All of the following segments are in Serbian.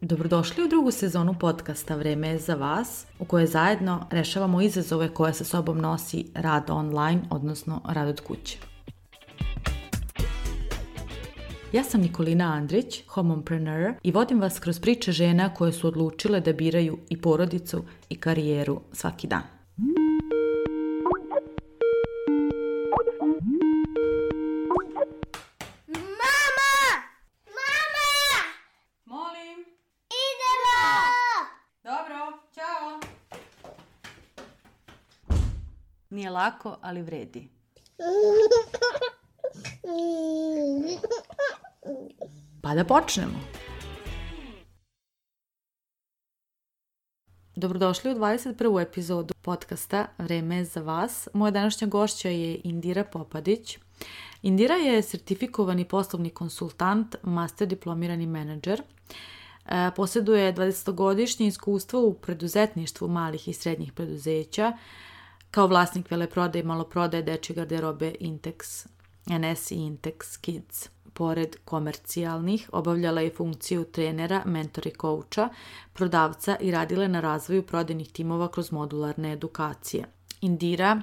Dobrodošli u drugu sezonu podcasta Vreme je za vas, u kojoj zajedno rešavamo izazove koje sa sobom nosi rad online, odnosno rad od kuće. Ja sam Nikolina Andrić, homompreneur, i vodim vas kroz priče žena koje su odlučile da biraju i porodicu i karijeru svaki dan. Nije lako, ali vredi. Pa da počnemo. Dobrodošli u 21. epizodu podcasta Vreme je za vas. Moja današnja gošća je Indira Popadić. Indira je sertifikovani poslovni konsultant, master diplomirani menadžer. Posjeduje 20-godišnje iskustvo u preduzetništvu malih i srednjih preduzeća, kao vlasnik veleprodaje i maloprodaje dečje garderobe Intex NS i Intex Kids. Pored komercijalnih, obavljala je funkciju trenera, mentora i kouča, prodavca i radila je na razvoju prodajnih timova kroz modularne edukacije. Indira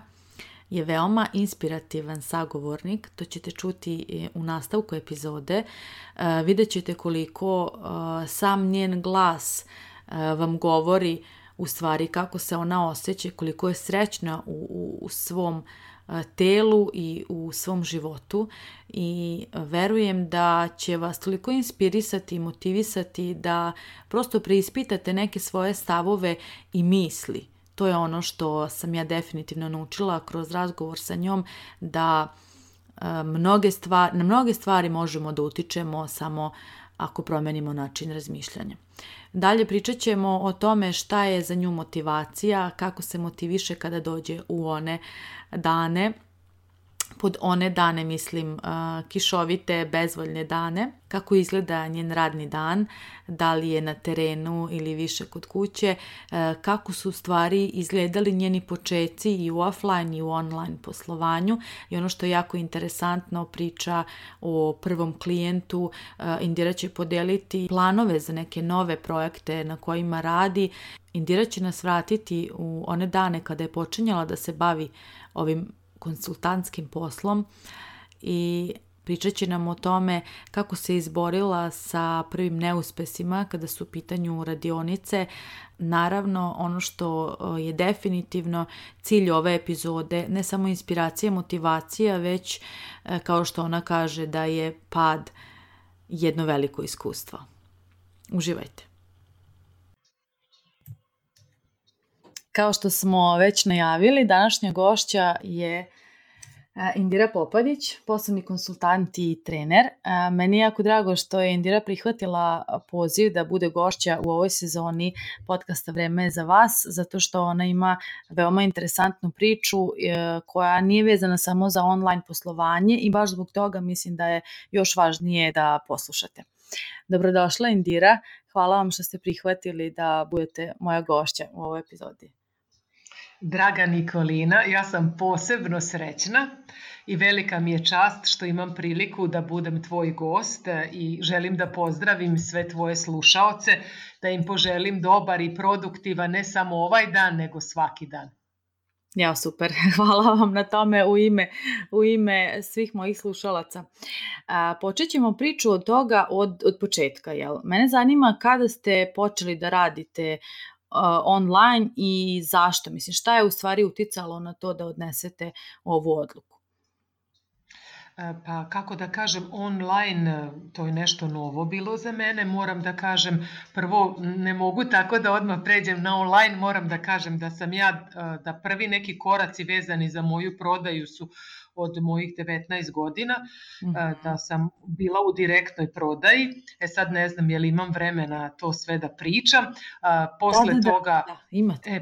je veoma inspirativan sagovornik, to ćete čuti u nastavku epizode. Vidjet ćete koliko sam njen glas vam govori u stvari kako se ona osjeća, koliko je srećna u svom telu i u svom životu, i verujem da će vas toliko inspirisati i motivisati da prosto preispitate neke svoje stavove i misli. To je ono što sam ja definitivno naučila kroz razgovor sa njom, da na mnoge stvari možemo da utičemo samo ako promenimo način razmišljanja. Dalje pričat ćemo o tome šta je za nju motivacija, kako se motiviše kada dođe u one dane, pod one dane mislim kišovite, bezvoljne dane, kako izgleda njen radni dan, da li je na terenu ili više kod kuće, kako su stvari izgledali njeni počeci i u offline i u online poslovanju, i ono što je jako interesantno, priča o prvom klijentu. Indira će podeliti planove za neke nove projekte na kojima radi. Indira će nas vratiti u one dane kada je počinjala da se bavi ovim konsultantskim poslom i pričat će nam o tome kako se izborila sa prvim neuspesima kada su u pitanju radionice. Naravno, ono što je definitivno cilj ove epizode, ne samo inspiracija, motivacija, već kao što ona kaže da je pad jedno veliko iskustvo. Uživajte. Kao što smo već najavili, današnja gošća je Indira Popadić, poslovni konsultant i trener. Meni je jako drago što je Indira prihvatila poziv da bude gošća u ovoj sezoni podcasta Vreme je za vas, zato što ona ima veoma interesantnu priču koja nije vezana samo za online poslovanje, i baš zbog toga mislim da je još važnije da poslušate. Dobrodošla Indira, hvala vam što ste prihvatili da budete moja gošća u ovoj epizodi. Draga Nikolina, ja sam posebno srećna i velika mi je čast što imam priliku da budem tvoj gost i želim da pozdravim sve tvoje slušaoce, da im poželim dobar i produktivan ne samo ovaj dan, nego svaki dan. Ja, super, hvala vam na tome u ime svih mojih slušalaca. Počet ćemo priču od toga od početka. Jel? Mene zanima kada ste počeli da radite online i zašto? Mislim, šta je u stvari uticalo na to da odnesete ovu odluku? Pa kako da kažem, online to je nešto novo bilo za mene. Moram da kažem, prvo ne mogu tako da odmah pređem na online, moram da kažem da sam ja, da prvi neki koraci vezani za moju prodaju su od mojih 19 godina, da sam bila u direktnoj prodaji. Sad ne znam je li imam vremena to sve da pričam. Posle toga... Da, imate.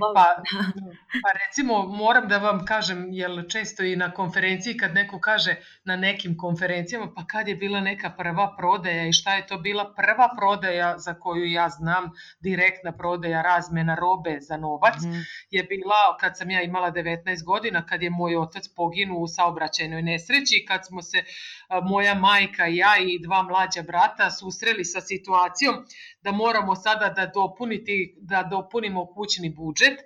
Pa recimo moram da vam kažem, jer često i na konferenciji kad neko kaže na nekim konferencijama, pa kad je bila neka prva prodaja i šta je to bila prva prodaja za koju ja znam, direktna prodaja, razmena robe za novac, je bila kad sam ja imala 19 godina, kad je moj otac poginuo u saobraćaju saobraćajnoj nesreći kad smo se moja majka i ja i 2 mlađa brata susreli sa situacijom da moramo sada da dopunimo kućni budžet.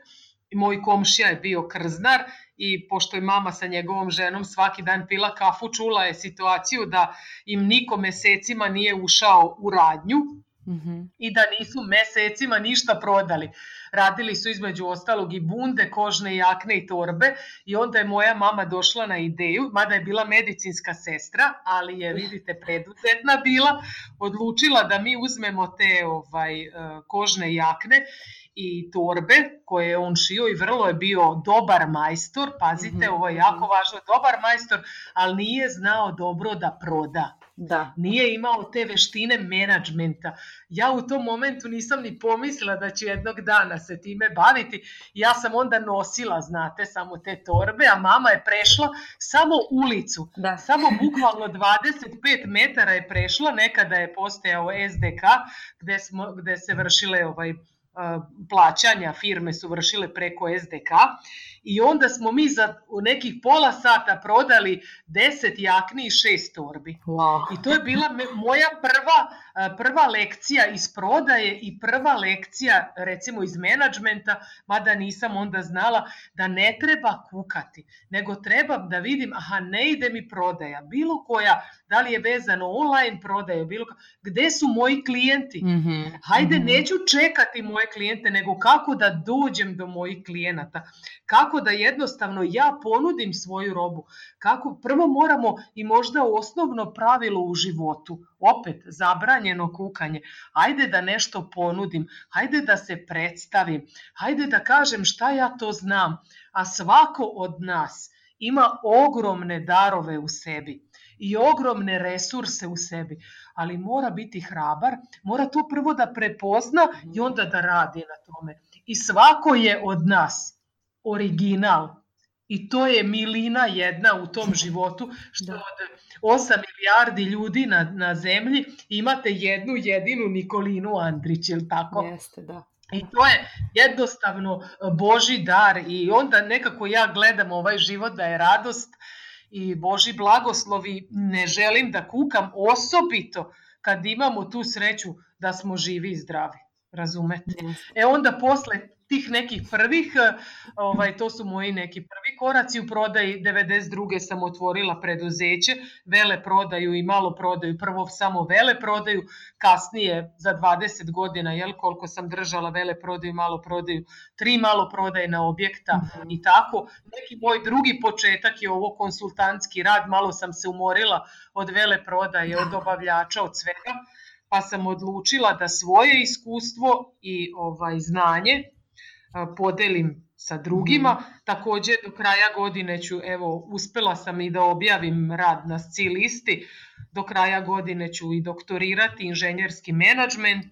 Moj komšija je bio krznar i pošto je mama sa njegovom ženom svaki dan pila kafu, čula je situaciju da im niko mesecima nije ušao u radnju i da nisu mesecima ništa prodali. Radili su između ostalog i bunde, kožne jakne i torbe i onda je moja mama došla na ideju, mada je bila medicinska sestra, ali je, vidite, preduzetna bila, odlučila da mi uzmemo te kožne jakne i torbe koje je on šio i vrlo je bio dobar majstor, pazite, ovo je jako važno, dobar majstor, ali nije znao dobro da proda. Da. Nije imao te veštine menadžmenta. Ja u tom momentu nisam ni pomislila da ću jednog dana se time baviti. Ja sam onda nosila, znate, samo te torbe, a mama je prešla samo ulicu. Da. Samo bukvalno 25 metara je prešla, nekada je postojao SDK gde se vršile plaćanja, firme su vršile preko SDK i onda smo mi za nekih pola sata prodali 10 jakni i 6 torbi. Wow. I to je bila moja prva lekcija iz prodaje i prva lekcija recimo iz menadžmenta, mada nisam onda znala da ne treba kukati, nego treba da vidim, ne ide mi prodaja, bilo koja, da li je vezano online prodaje, gde su moji klijenti? Hajde, neću čekati moje klijente, nego kako da dođem do mojih klijenata, kako da jednostavno ja ponudim svoju robu, kako prvo moramo i možda osnovno pravilo u životu, opet zabranjeno kukanje, hajde da nešto ponudim, hajde da se predstavim, hajde da kažem šta ja to znam, a svako od nas ima ogromne darove u sebi i ogromne resurse u sebi, ali mora biti hrabar, mora to prvo da prepozna i onda da radi na tome. I svako je od nas original i to je milina jedna u tom životu, što od 8 milijardi ljudi na zemlji imate jednu jedinu Nikolinu Andrić, ili tako? Jeste, da. I to je jednostavno Božji dar i onda nekako ja gledam ovaj život da je radost i Božji blagoslovi, ne želim da kukam, osobito kad imamo tu sreću da smo živi i zdravi, razumete? Onda posle tih nekih prvih, to su moji neki prvi koraci u prodaji. 92. sam otvorila preduzeće, veleprodaju i maloprodaju, prvo samo veleprodaju, kasnije za 20 godina, koliko sam držala veleprodaju i maloprodaju, 3 maloprodajna objekta i tako. Neki moj drugi početak je ovo konsultantski rad, malo sam se umorila od veleprodaje, od dobavljača, od svega, pa sam odlučila da svoje iskustvo i znanje podelim sa drugima. Također do kraja godine ću, uspela sam i da objavim rad na SCI listi, do kraja godine ću i doktorirati inženjerski menadžment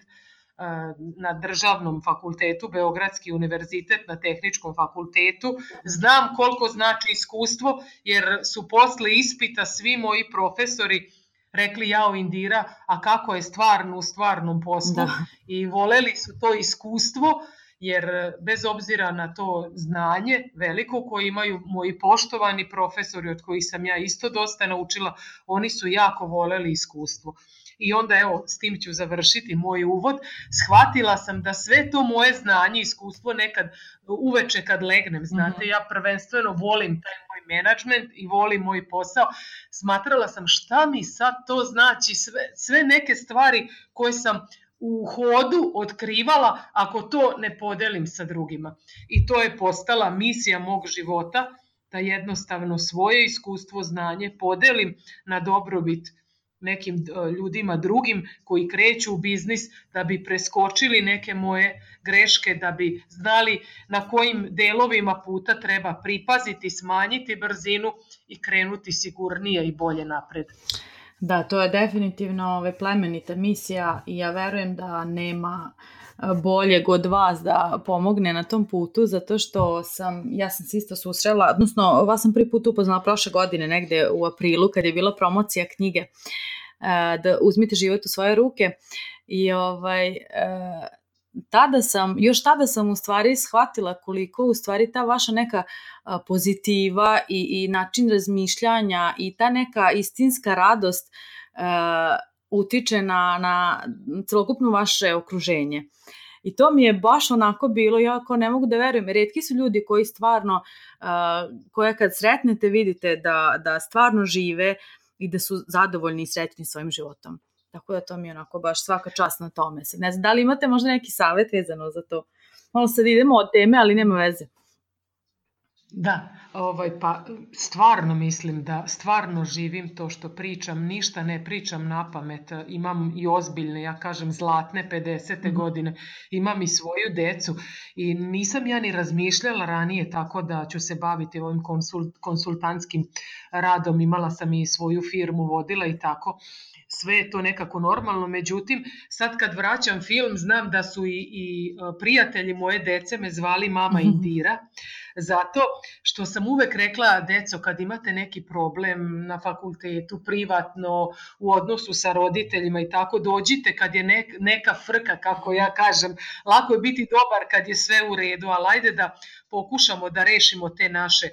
na državnom fakultetu, Beogradski univerzitet na tehničkom fakultetu. Znam koliko znači iskustvo, jer su posle ispita svi moji profesori rekli, jao Indira, a kako je stvarno u stvarnom poslu, i voleli su to iskustvo, jer bez obzira na to znanje veliko koje imaju moji poštovani profesori od kojih sam ja isto dosta naučila, oni su jako voleli iskustvo. I onda s tim ću završiti moj uvod. Shvatila sam da sve to moje znanje i iskustvo nekad uveče kad legnem, znate, ja prvenstveno volim taj moj menadžment i volim moj posao. Smatrala sam šta mi sad to znači, sve neke stvari koje sam u hodu otkrivala ako to ne podelim sa drugima. I to je postala misija mog života, da jednostavno svoje iskustvo, znanje podelim na dobrobit nekim ljudima drugim koji kreću u biznis, da bi preskočili neke moje greške, da bi znali na kojim delovima puta treba pripaziti, smanjiti brzinu i krenuti sigurnije i bolje napred. Da, to je definitivno plemenita misija i ja verujem da nema boljeg od vas da pomogne na tom putu, zato što ja sam se isto susrela, odnosno vas sam prvi put upoznala prošle godine, negde u aprilu, kad je bila promocija knjige da uzmite život u svoje ruke i još tada sam u stvari shvatila koliko u stvari ta vaša neka pozitiva i način razmišljanja i ta neka istinska radost utiče na celokupno vaše okruženje. I to mi je baš onako bilo, ja ako ne mogu da verujem, retki su ljudi koji stvarno, koje kad sretnete vidite da stvarno žive i da su zadovoljni i srećni svojim životom. Tako da to mi je onako baš svaka čast na tome. Ne znam, da li imate možda neki savjet vezano za to? Malo sad idemo od teme, ali nema veze. Da, pa stvarno mislim da stvarno živim to što pričam, ništa ne pričam na pamet, imam i ozbiljne, ja kažem zlatne 50. godine, imam i svoju decu i nisam ja ni razmišljala ranije tako da ću se baviti ovim konsultantskim radom, imala sam i svoju firmu, vodila i tako. Sve je to nekako normalno, međutim, sad kad vraćam film, znam da su i prijatelji moje dece me zvali mama Indira, zato što sam uvek rekla, deco, kad imate neki problem na fakultetu, privatno, u odnosu sa roditeljima i tako, dođite kad je neka frka, kako ja kažem, lako je biti dobar kad je sve u redu, ali ajde da pokušamo da rešimo te naše,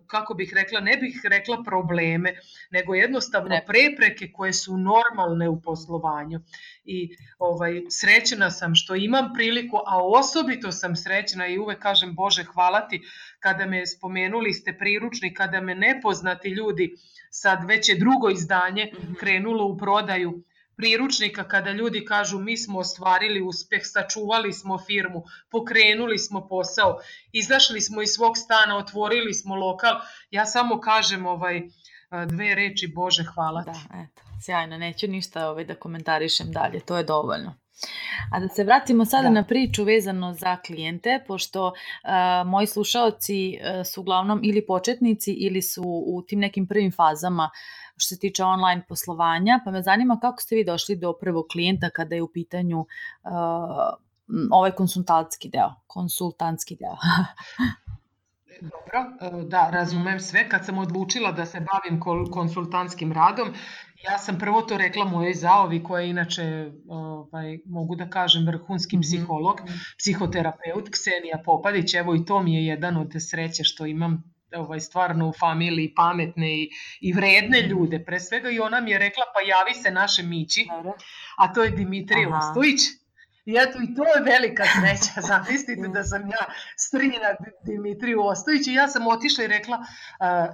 kako bih rekla, ne bih rekla probleme, nego jednostavno prepreke koje su normalne u poslovanju. I srećna sam što imam priliku, a osobito sam srećna i uvek kažem Bože hvala ti kada me spomenuli ste priručnik, kada me nepoznati ljudi, sad već je drugo izdanje krenulo u prodaju priručnika, kada ljudi kažu mi smo ostvarili uspeh, sačuvali smo firmu, pokrenuli smo posao, izašli smo iz svog stana, otvorili smo lokal, ja samo kažem dve reči Bože hvala ti. Da, eto, sjajno, neću ništa da komentarišem dalje, to je dovoljno. A da se vratimo sada na priču vezano za klijente, pošto moji slušaoci su uglavnom ili početnici ili su u tim nekim prvim fazama što se tiče online poslovanja, pa me zanima kako ste vi došli do prvog klijenta kada je u pitanju ovaj konsultantski deo. Dobro, da, razumem sve. Kad sam odlučila da se bavim konsultantskim radom, ja sam prvo to rekla mojoj zaovi koja je inače, mogu da kažem, vrhunski psiholog, psihoterapeut, Ksenija Popadić, evo i to mi je jedan od sreće što imam stvarno u familiji pametne i vredne ljude. Pre svega i ona mi je rekla pa javi se naše Mići, a to je Dimitrij Ostojić. I eto i to je velika sreća, zamislite da sam ja strina Dimitriju Ostojiću i ja sam otišla i rekla,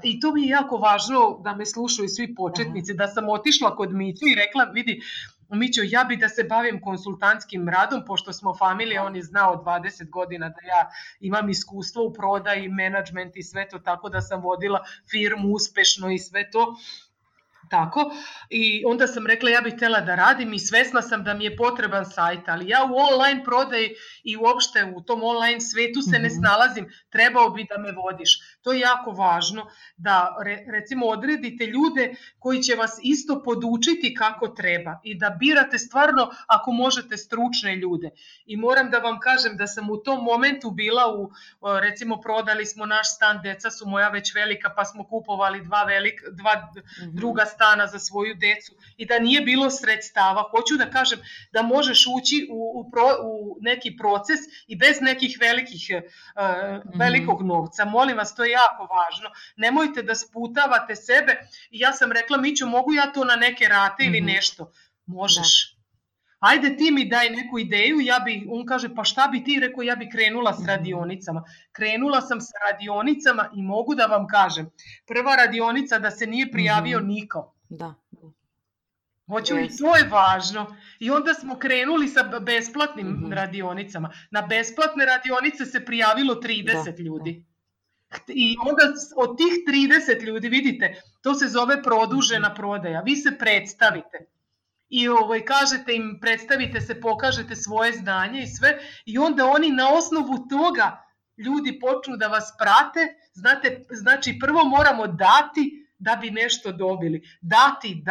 i to mi je jako važno da me slušaju svi početnici, da sam otišla kod Miću i rekla vidi Mićo, ja bi da se bavim konsultantskim radom, pošto smo familija, on je znao 20 godina da ja imam iskustvo u prodaji, menadžment i sve to, tako da sam vodila firmu uspešno i sve to. Tako, i onda sam rekla ja bih htjela da radim i svesna sam da mi je potreban sajt, ali ja u online prodaji i uopšte u tom online svetu se ne snalazim, trebao bi da me vodiš. To je jako važno da recimo odredite ljude koji će vas isto podučiti kako treba i da birate stvarno ako možete stručne ljude. I moram da vam kažem da sam u tom momentu bila recimo prodali smo naš stan, deca su moja već velika pa smo kupovali dva druga stana za svoju decu i da nije bilo sredstava. Hoću da kažem da možeš ući u neki proces i bez nekih velikog novca. Molim vas, to je jako važno. Nemojte da sputavate sebe. I ja sam rekla, Mićo, mogu ja to na neke rate ili nešto? Možeš. Ajde ti mi daj neku ideju, on kaže pa šta bi ti, rekao ja bi krenula s radionicama. Krenula sam sa radionicama i mogu da vam kažem, prva radionica da se nije prijavio niko. Da. Hoću i to je važno. I onda smo krenuli sa besplatnim radionicama. Na besplatne radionice se prijavilo 30 ljudi. I onda od tih 30 ljudi, vidite, to se zove produžena prodaja. Vi se predstavite. I kažete im, predstavite se, pokažete svoje znanje i sve. I onda oni na osnovu toga ljudi počnu da vas prate. Znate, znači prvo moramo dati da bi nešto dobili. Dati.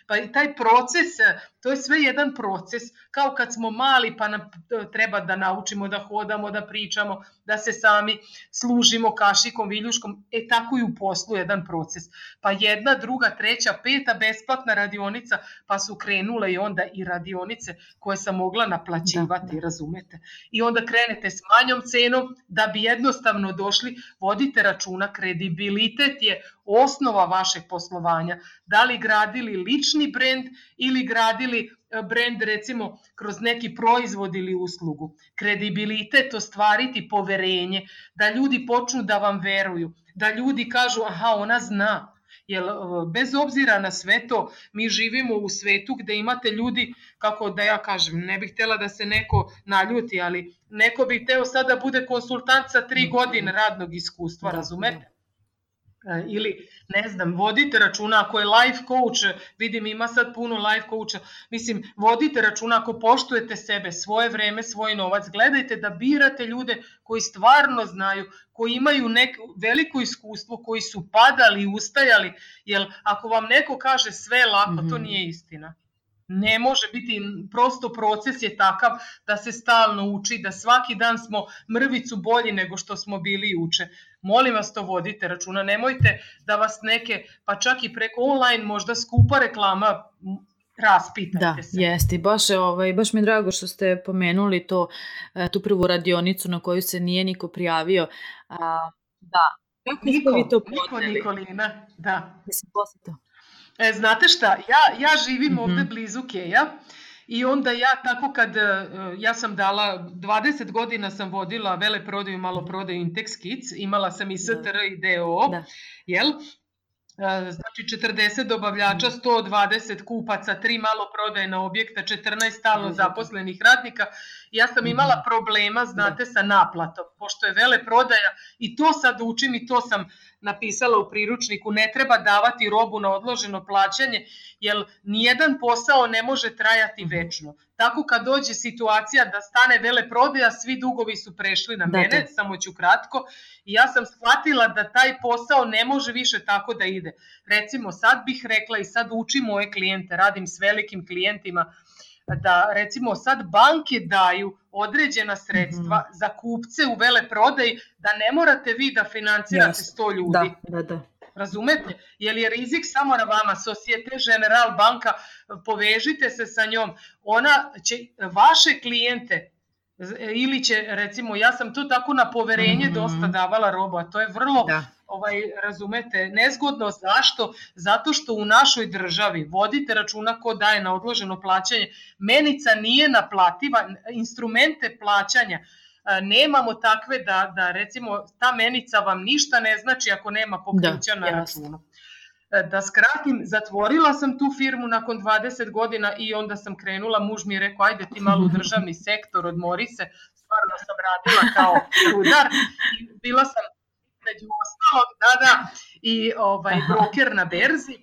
Pa i taj proces, to je sve jedan proces. Kao kad smo mali pa nam treba da naučimo da hodamo, da pričamo, da se sami služimo kašikom, viljuškom. Tako i u poslu jedan proces. Pa jedna, druga, treća, peta besplatna radionica, pa su krenule i onda i radionice koje sam mogla naplaćivati, razumete? I onda krenete s manjom cenom da bi jednostavno došli. Vodite računa, kredibilitet je osnova vašeg poslovanja. Da li gradili lični brend ili gradili brend recimo kroz neki proizvod ili uslugu. Kredibilitet, ostvariti poverenje, da ljudi počnu da vam veruju, da ljudi kažu aha, ona zna. Jer bez obzira na sve to, mi živimo u svetu gde imate ljudi, kako da ja kažem, ne bih htjela da se neko naljuti, ali neko bi hteo sad da bude konsultant sa 3 godine radnog iskustva, razumete? Ili, ne znam, vodite računa ako je life coach, vidim ima sad puno life coacha, mislim, vodite računa ako poštujete sebe, svoje vreme, svoj novac, gledajte da birate ljude koji stvarno znaju, koji imaju veliko iskustvo, koji su padali i ustajali, jer ako vam neko kaže sve lako, to nije istina. Ne može biti, prosto proces je takav da se stalno uči, da svaki dan smo mrvicu bolji nego što smo bili juče. Molim vas, to vodite računa, nemojte da vas neke, pa čak i preko online možda skupa reklama, raspitajte se. Da, jeste. Baš mi je drago što ste pomenuli tu prvu radionicu na koju se nije niko prijavio. Da. Kako ste vi to podneli? Nikolina, da. Mislim, posle to. Znate šta, ja živim ovde blizu Keja i onda ja tako ja sam dala, 20 godina sam vodila veleprodaju, maloprodaju Intex Kids, imala sam i STR i DOO, jel? Znači 40 dobavljača, 120 kupaca, 3 maloprodajna objekta, 14 stalno zaposlenih radnika. Ja sam imala problema, znate, sa naplatom, pošto je veleprodaja i to sad učim i to sam napisala u priručniku, ne treba davati robu na odloženo plaćanje, jer nijedan posao ne može trajati večno. Tako kad dođe situacija da stane veleprodaja, svi dugovi su prešli na mene, samo ću kratko, i ja sam shvatila da taj posao ne može više tako da ide. Recimo, sad bih rekla i sad učim moje klijente, radim s velikim klijentima, da recimo sad banke daju određena sredstva za kupce u veleprodaji, da ne morate vi da financirate 100 ljudi. Da. Razumete? Jer je rizik samo na vama. Societe General banka, povežite se sa njom. Ona će vaše klijente ili će, recimo, ja sam to tako na poverenje dosta davala robu, a to je vrlo, razumete, nezgodno. Zašto? Zato što u našoj državi, vodite računa ko daje na odloženo plaćanje, menica nije naplativa, instrumente plaćanja nemamo takve da recimo ta menica vam ništa ne znači ako nema pokrića na računu. Da skratim, zatvorila sam tu firmu nakon 20 godina i onda sam krenula, muž mi je rekao ajde ti malo u državni sektor, odmori se, stvarno sam radila kao rudar i bila sam među ostalog, i broker na berzi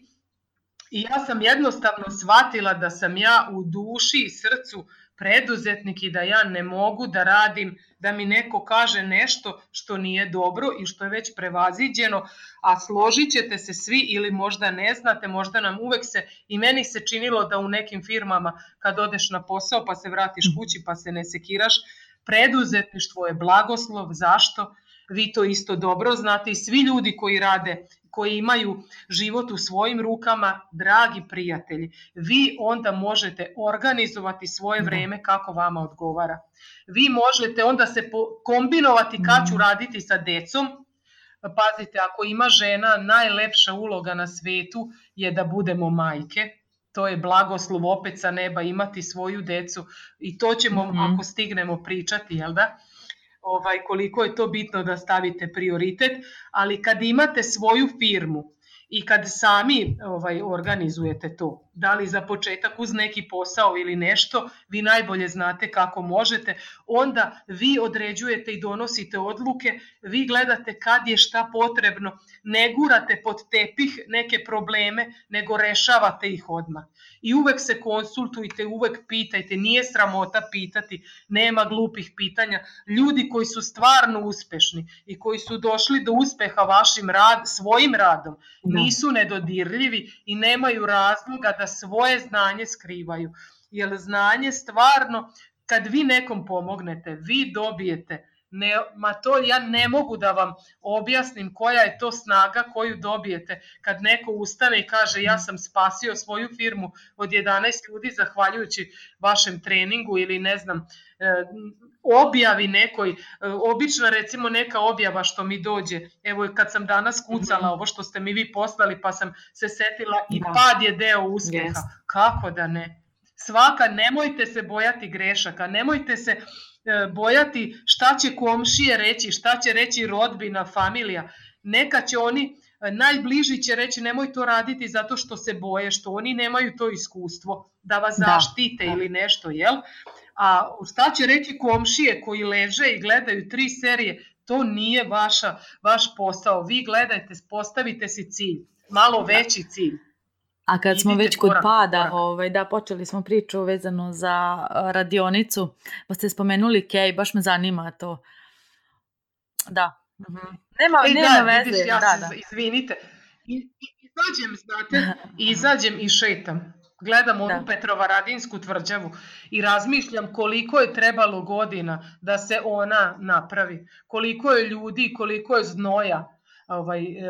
i ja sam jednostavno shvatila da sam ja u duši i srcu preduzetnik i da ja ne mogu da radim, da mi neko kaže nešto što nije dobro i što je već prevaziđeno, a složit ćete se svi ili možda ne znate, možda nam uvek i meni se činilo da u nekim firmama kad odeš na posao pa se vratiš kući pa se ne sekiraš, preduzetništvo je blagoslov. Zašto? Vi to isto dobro znate i svi ljudi koji rade, koji imaju život u svojim rukama, dragi prijatelji, vi onda možete organizovati svoje vreme kako vama odgovara. Vi možete onda se kombinovati kad ću raditi sa decom. Pazite, ako ima žena, najlepša uloga na svetu je da budemo majke. To je blagoslov opet sa neba, imati svoju decu i to ćemo ako stignemo pričati, jel da? Koliko je to bitno da stavite prioritet, ali kad imate svoju firmu I kad sami organizujete to, da li za početak uz neki posao ili nešto, vi najbolje znate kako možete, onda vi određujete i donosite odluke, vi gledate kad je šta potrebno, ne gurate pod tepih neke probleme, nego rešavate ih odmah. I uvek se konsultujte, uvek pitajte, nije sramota pitati, nema glupih pitanja. Ljudi koji su stvarno uspešni i koji su došli do uspeha svojim radom, nisu nedodirljivi i nemaju razloga da svoje znanje skrivaju. Jer znanje stvarno, kad vi nekom pomognete, vi dobijete. To ja ne mogu da vam objasnim koja je to snaga koju dobijete kad neko ustane i kaže ja sam spasio svoju firmu od 11 ljudi zahvaljujući vašem treningu ili ne znam, objavi nekoj, obično recimo neka objava što mi dođe, evo kad sam danas kucala ovo što ste mi vi poslali pa sam se setila i pad je deo uspeha, kako da ne? Nemojte se bojati grešaka, nemojte se bojati šta će komšije reći, šta će reći rodbina, familija. Neka će oni, najbliži će reći nemoj to raditi zato što se boje, što oni nemaju to iskustvo da vas zaštite ili nešto, jel? A šta će reći komšije koji leže i gledaju 3 serije, to nije vaš posao. Vi gledajte, postavite si cilj, malo veći cilj. A kad smo već kod pada, počeli smo priču vezano za radionicu, pa ste spomenuli Kej, baš me zanima to. Da. Nema veze. Izvinite. Izađem i šetam. Gledam onu Petrovaradinsku tvrđavu i razmišljam koliko je trebalo godina da se ona napravi. Koliko je ljudi, koliko je znoja.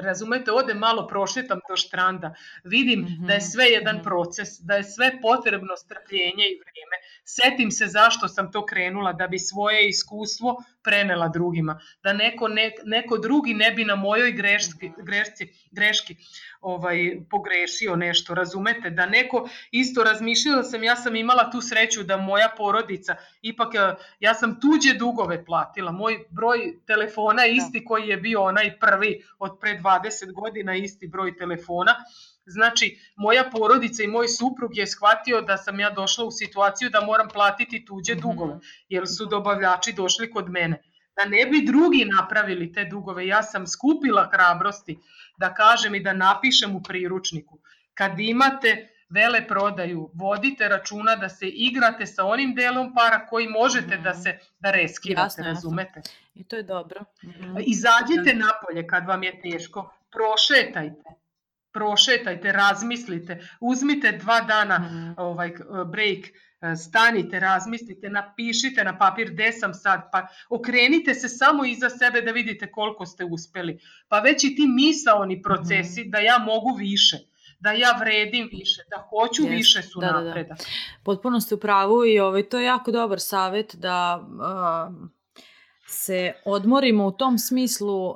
Razumete, odem malo prošetam do štranda, vidim da je sve jedan proces, da je sve potrebno strpljenje i vrijeme. Setim se zašto sam to krenula, da bi svoje iskustvo prenela drugima, da neko drugi ne bi na mojoj greški pogrešio nešto, razumete, da neko isto razmišljala ja sam imala tu sreću da moja porodica, ipak ja sam tuđe dugove platila, moj broj telefona je isti koji je bio onaj prvi od pre 20 godina, isti broj telefona. Znači, moja porodica i moj suprug je shvatio da sam ja došla u situaciju da moram platiti tuđe dugove, jer su dobavljači došli kod mene. Da ne bi drugi napravili te dugove, ja sam skupila hrabrosti da kažem i da napišem u priručniku. Kad imate veleprodaju, vodite računa da se igrate sa onim delom para koji možete da reskirate, razumete? I to je dobro. Izađite napolje kad vam je teško, prošetajte, razmislite, uzmite 2 dana break, stanite, razmislite, napišite na papir gde sam sad, pa okrenite se samo iza sebe da vidite koliko ste uspeli. Pa već i ti misaoni procesi da ja mogu više, da ja vredim više, da hoću više su napredak. Potpuno ste u pravu i to je jako dobar savjet da se odmorimo u tom smislu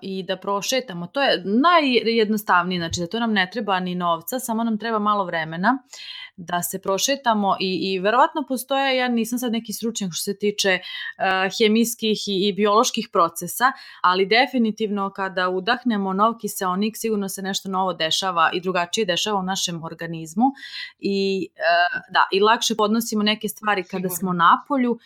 i da prošetamo. To je najjednostavnije, znači da to nam ne treba ni novca, samo nam treba malo vremena da se prošetamo i verovatno postoje, ja nisam sad neki stručnjak što se tiče hemijskih i bioloških procesa, ali definitivno kada udahnemo nov kiseonik sigurno se nešto novo dešava i drugačije dešava u našem organizmu i lakše podnosimo neke stvari kada smo napolju,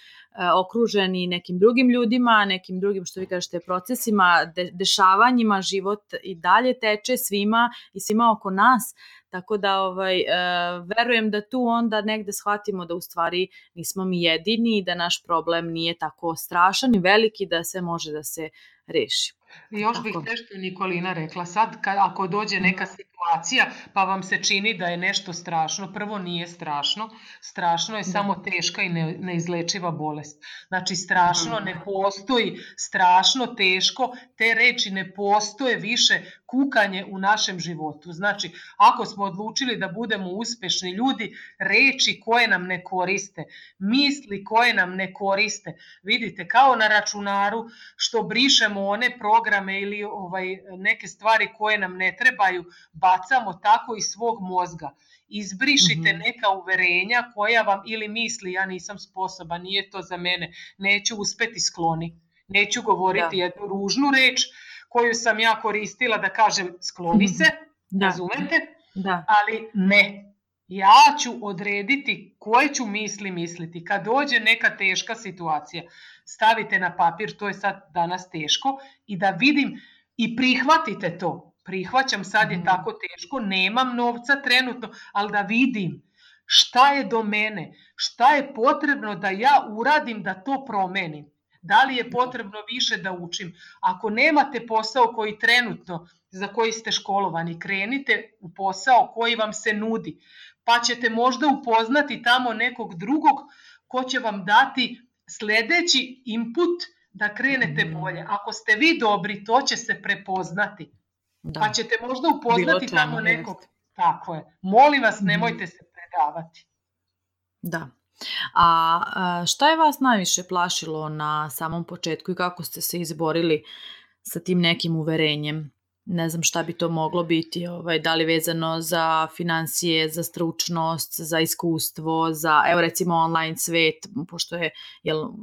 okruženi nekim drugim ljudima, nekim drugim, što vi kažete, procesima, dešavanjima, život i dalje teče svima i svima oko nas, tako da verujem da tu onda negde shvatimo da u stvari nismo mi jedini i da naš problem nije tako strašan i veliki da sve može da se reši. Još bih nešto Nikolina rekla, sad ako dođe neka situacija pa vam se čini da je nešto strašno, prvo nije strašno, strašno je samo teška i neizlečiva bolest. Znači strašno ne postoji, strašno, teško, te reči ne postoje više kukanje u našem životu. Znači ako smo odlučili da budemo uspešni ljudi, reči koje nam ne koriste, misli koje nam ne koriste, vidite kao na računaru što brišemo one programe ili neke stvari koje nam ne trebaju, bacamo tako iz svog mozga. Izbrišite neka uverenja koja vam ili misli ja nisam sposoban, nije to za mene, neću uspeti, skloni. Neću govoriti jednu ružnu reč koju sam ja koristila da kažem skloni se, Razumete? Da. Ali ne. Ja ću odrediti koje ću misli misliti. Kad dođe neka teška situacija, stavite na papir, to je sad danas teško, i da vidim i prihvatite to. Prihvaćam, sad je tako teško, nemam novca trenutno, ali da vidim šta je do mene, šta je potrebno da ja uradim da to promenim. Da li je potrebno više da učim? Ako nemate posao koji trenutno, za koji ste školovani, krenite u posao koji vam se nudi. Pa ćete možda upoznati tamo nekog drugog ko će vam dati sljedeći input da krenete bolje. Ako ste vi dobri, to će se prepoznati. Da. Pa ćete možda upoznati tamo nekog. Tako je. Molim vas, nemojte se predavati. Da. A šta je vas najviše plašilo na samom početku i kako ste se izborili sa tim nekim uverenjem? Ne znam šta bi to moglo biti, da li vezano za financije, za stručnost, za iskustvo, za, evo recimo, online svet, pošto je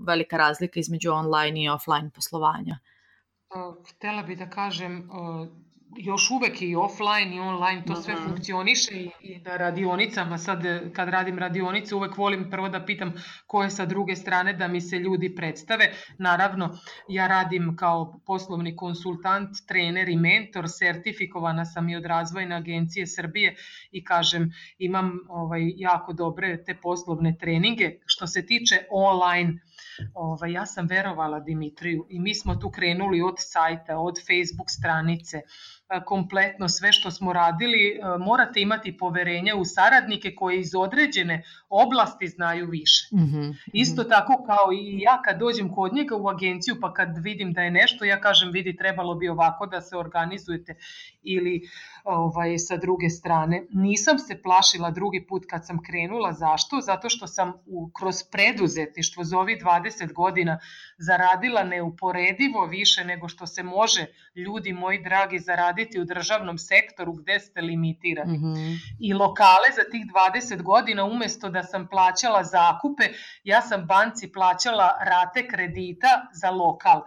velika razlika između online i offline poslovanja. Htjela bih da kažem, još uvek i offline i online to sve funkcioniše i na radionicama. Sad kad radim radionice uvek volim prvo da pitam ko je sa druge strane da mi se ljudi predstave. Naravno, ja radim kao poslovni konsultant, trener i mentor, sertifikovana sam i od Razvojne agencije Srbije i kažem imam jako dobre te poslovne treninge. Što se tiče online, ja sam verovala Dimitriju i mi smo tu krenuli od sajta, od Facebook stranice, kompletno sve što smo radili. Morate imati poverenje u saradnike koji iz određene oblasti znaju više. Isto tako kao i ja kad dođem kod njega u agenciju pa kad vidim da je nešto, ja kažem vidi trebalo bi ovako da se organizujete ili sa druge strane. Nisam se plašila drugi put kad sam krenula. Zašto? Zato što sam kroz preduzetništvo za ovih 20 godina zaradila neuporedivo više nego što se može, ljudi moji dragi, zaraditi u državnom sektoru gde ste limitirani. I lokale za tih 20 godina umjesto da sam plaćala zakupe, ja sam banci plaćala rate kredita za lokal.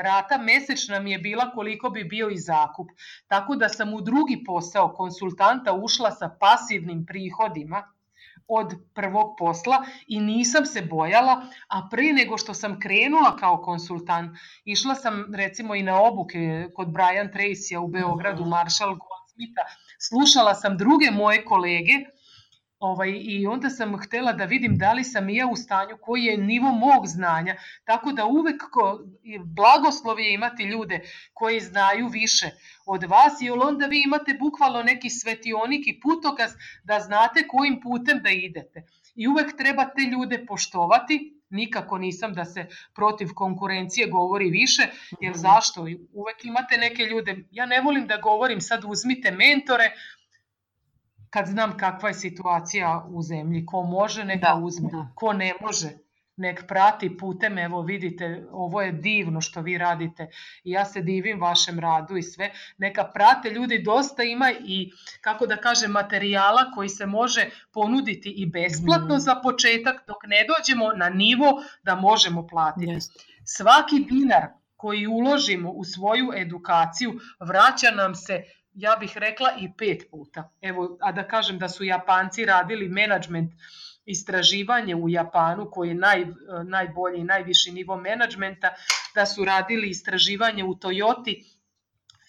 Rata mesečna mi je bila koliko bi bio i zakup. Tako da sam u drugi posao konsultanta ušla sa pasivnim prihodima od prvog posla i nisam se bojala, a prije nego što sam krenula kao konsultant, išla sam recimo i na obuke kod Brian Tracyja u Beogradu, Marshall Goldsmitha, slušala sam druge moje kolege i onda sam htjela da vidim da li sam i ja u stanju, koji je nivo mog znanja, tako da uvek blagoslov je imati ljude koji znaju više od vas, jer onda vi imate bukvalno neki svetionik i putokaz da znate kojim putem da idete. I uvek treba te ljude poštovati. Nikako nisam da se protiv konkurencije govori više, jer zašto? Uvek imate neke ljude, ja ne volim da govorim sad uzmite mentore, kad znam kakva je situacija u zemlji, ko može neka uzme, ko ne može nek prati putem, evo vidite, ovo je divno što vi radite i ja se divim vašem radu i sve, neka prate ljudi, dosta ima i, kako da kažem, materijala koji se može ponuditi i besplatno za početak, dok ne dođemo na nivo da možemo platiti. Svaki dinar koji uložimo u svoju edukaciju vraća nam se, ja bih rekla, i 5 puta. Evo, a da kažem da su Japanci radili menadžment istraživanje u Japanu, koji je najbolji i najviši nivo menadžmenta, da su radili istraživanje u Toyoti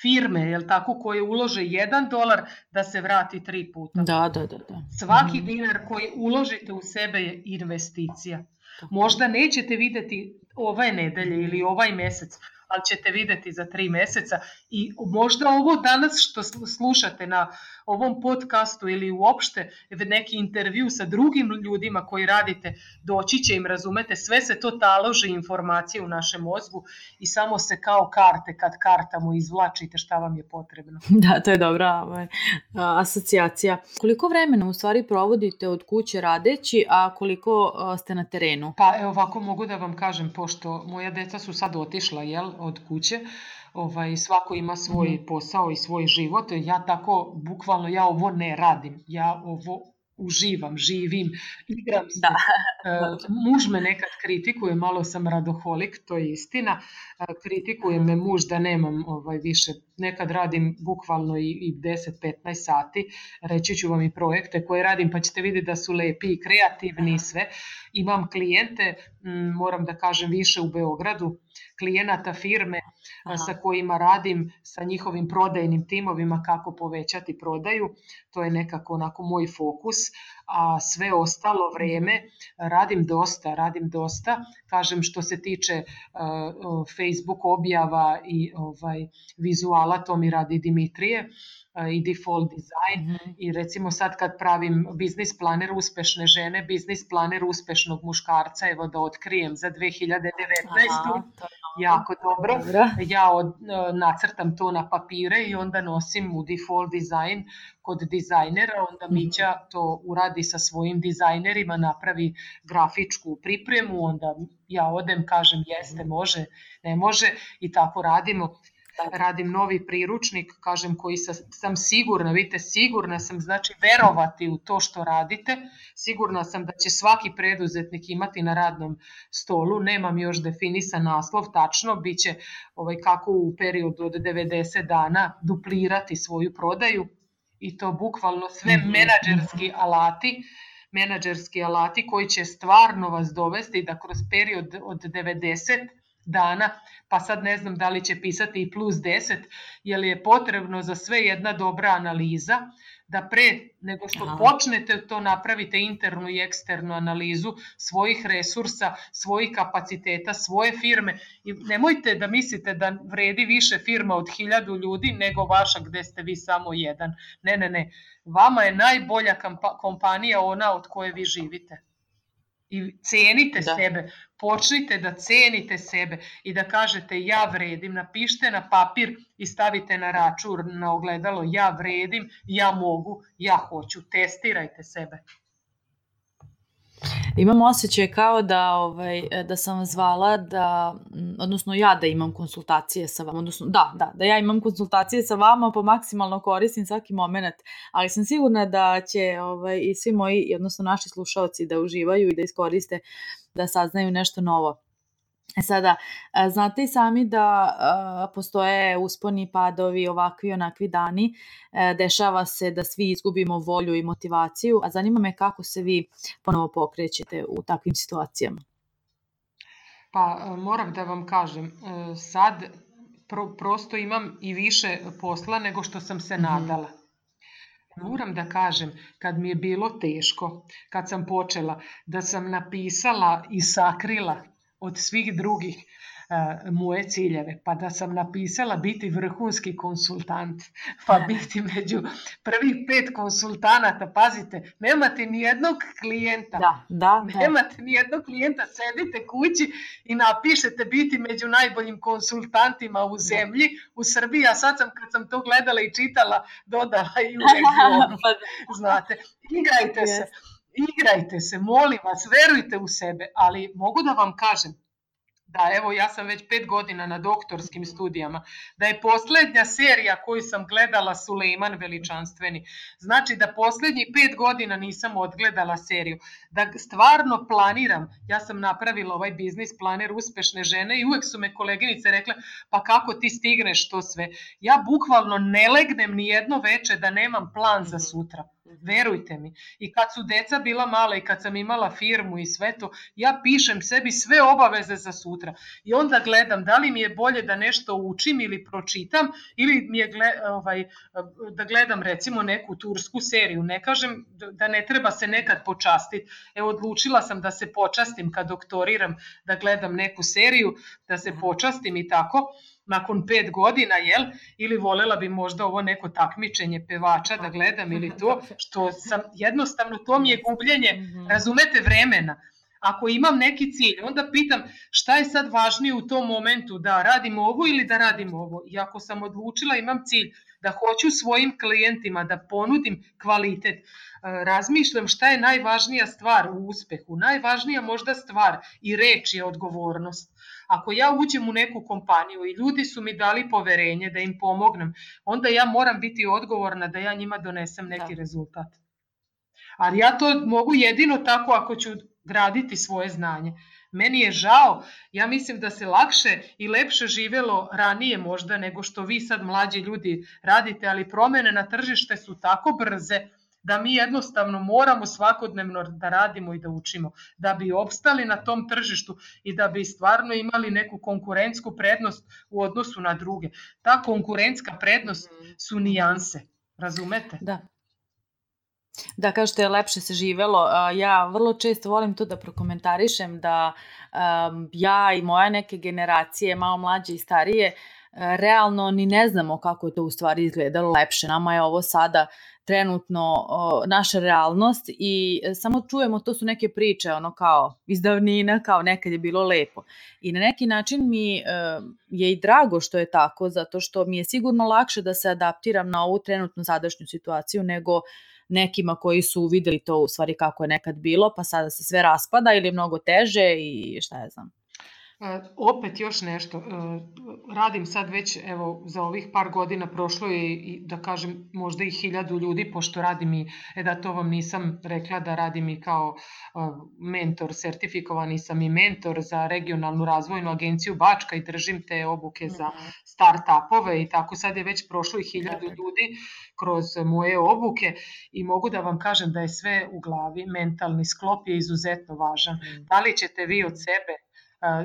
firme, jel tako, koje ulože $1 da se vrati 3 puta. Da. Svaki dinar koji uložite u sebe je investicija. Možda nećete vidjeti ove nedelje ili ovaj mjesec, ali ćete vidjeti za 3 mjeseca i možda ovo danas što slušate na ovom podcastu ili uopšte neki intervju sa drugim ljudima koji radite, doći će im, razumete, sve se to taloži informacije u našem mozgu i samo se kao karte, kad kartamo izvlačite šta vam je potrebno. Da, to je dobra asocijacija. Koliko vremena u stvari provodite od kuće radeći, a koliko ste na terenu? Pa evo ovako mogu da vam kažem, pošto moja deca su sad otišla od kuće, svako ima svoj posao i svoj život, ja tako bukvalno ja ovo ne radim, ja ovo uživam, živim, igram se. Muž me nekad kritikuje, malo sam radoholik, to je istina, kritikuje me muž da nemam više nekad radim bukvalno i 10-15 sati, reći ću vam i projekte koje radim pa ćete vidjeti da su lepi i kreativni i sve. Imam klijente, moram da kažem više u Beogradu, klijenata firme sa kojima radim, sa njihovim prodajnim timovima kako povećati prodaju, to je nekako onako moj fokus, a sve ostalo vrijeme radim dosta, kažem što se tiče Facebook objava i vizuala, to mi radi Dimitrije i default design i recimo sad kad pravim biznis planer uspešne žene, biznis planer uspešnog muškarca, evo da otkrijem za 2019. Jako dobro. Ja nacrtam to na papire i onda nosim u default design kod dizajnera, onda Mića to uradi sa svojim dizajnerima, napravi grafičku pripremu, onda ja odem, kažem jeste, može, ne može i tako radimo. Radim novi priručnik, kažem, koji sam sigurna, vidite, sigurna sam, znači verovati u to što radite, sigurna sam da će svaki preduzetnik imati na radnom stolu, nemam još definisan naslov, tačno, bit će kako u periodu od 90 dana duplirati svoju prodaju i to bukvalno sve menadžerski alati koji će stvarno vas dovesti da kroz period od 90 dana, pa sad ne znam da li će pisati i plus 10, jer je potrebno za sve jedna dobra analiza, da pre nego što počnete to napravite internu i eksternu analizu svojih resursa, svojih kapaciteta, svoje firme i nemojte da mislite da vredi više firma od 1000 ljudi nego vaša gde ste vi samo jedan. Ne. Vama je najbolja kompanija ona od koje vi živite. I cenite sebe, počnite da cenite sebe i da kažete ja vredim, napišite na papir i stavite na račun, na ogledalo, ja vredim, ja mogu, ja hoću, testirajte sebe. Imam osjećaj kao da sam vas zvala odnosno ja da imam konsultacije sa vama, odnosno da ja imam konsultacije sa vama, pa maksimalno koristim svaki moment, ali sam sigurna da će i svi moji, odnosno naši slušaoci da uživaju i da iskoriste, da saznaju nešto novo. Sada, znate i sami da postoje usponi, padovi, ovakvi i onakvi dani, dešava se da svi izgubimo volju i motivaciju, a zanima me kako se vi ponovo pokrećete u takvim situacijama. Pa moram da vam kažem, sad prosto imam i više posla nego što sam se nadala. Moram da kažem, kad mi je bilo teško, kad sam počela, da sam napisala i sakrila od svih drugih moje ciljeve, pa da sam napisala biti vrhunski konsultant, pa biti među prvih 5 konsultanata, pazite, nemate ni jednog klijenta, nemate ni jednog klijenta, sedite kući i napišete biti među najboljim konsultantima u zemlji, u Srbiji, a sad sam, kad sam to gledala i čitala, dodala i u regionu, znate, igrajte se, molim vas, verujte u sebe, ali mogu da vam kažem da evo ja sam već 5 godina na doktorskim studijama, da je posljednja serija koju sam gledala Sulejman Veličanstveni, znači da posljednjih 5 godina nisam odgledala seriju, da stvarno planiram, ja sam napravila ovaj biznis planer uspešne žene i uvek su me koleginice rekle pa kako ti stigneš to sve, ja bukvalno ne legnem ni jedno veče da nemam plan za sutra. Verujte mi. I kad su deca bila mala i kad sam imala firmu i sve to, ja pišem sebi sve obaveze za sutra. I onda gledam da li mi je bolje da nešto učim ili pročitam ili mi je da gledam recimo neku tursku seriju. Ne kažem da ne treba se nekad počastiti. Evo, odlučila sam da se počastim kad doktoriram, da gledam neku seriju, da se počastim i tako. Nakon 5 godina, ili volela bi možda ovo neko takmičenje pevača da gledam ili to, što sam jednostavno, to mi je gubljenje, razumete, vremena. Ako imam neki cilj, onda pitam šta je sad važnije u tom momentu, da radim ovo ili da radim ovo. I ako sam odlučila, imam cilj da hoću svojim klijentima da ponudim kvalitet, razmišljam šta je najvažnija stvar u uspehu. Najvažnija možda stvar i reč je odgovornost. Ako ja uđem u neku kompaniju i ljudi su mi dali poverenje da im pomognem, onda ja moram biti odgovorna da ja njima donesem neki rezultat. Ali ja to mogu jedino tako ako ću graditi svoje znanje. Meni je žao, ja mislim da se lakše i lepše živelo ranije možda nego što vi sad mlađi ljudi radite, ali promene na tržište su tako brze da mi jednostavno moramo svakodnevno da radimo i da učimo, da bi opstali na tom tržištu i da bi stvarno imali neku konkurentsku prednost u odnosu na druge. Ta konkurentska prednost su nijanse, razumete? Da, kažete je lepše se živelo. Ja vrlo često volim to da prokomentarišem da ja i moja neke generacije, malo mlađe i starije, realno ni ne znamo kako je to u stvari izgledalo lepše. Nama je ovo sada trenutno naša realnost i samo čujemo, to su neke priče ono kao iz davnina, kao nekad je bilo lepo. I na neki način mi je i drago što je tako, zato što mi je sigurno lakše da se adaptiram na ovu trenutnu sadašnju situaciju nego nekima koji su videli to u stvari kako je nekad bilo, pa sada se sve raspada ili je mnogo teže i šta ja znam. Opet još nešto, radim sad već, evo, za ovih par godina prošlo je i da kažem možda i 1000 ljudi, pošto radim i, da to vam nisam rekla da radim i kao mentor, sertifikovani sam i mentor za regionalnu razvojnu agenciju Bačka i držim te obuke za start-upove i tako sad je već prošlo i 1000 ljudi kroz moje obuke i mogu da vam kažem da je sve u glavi, mentalni sklop je izuzetno važan. Da li ćete vi od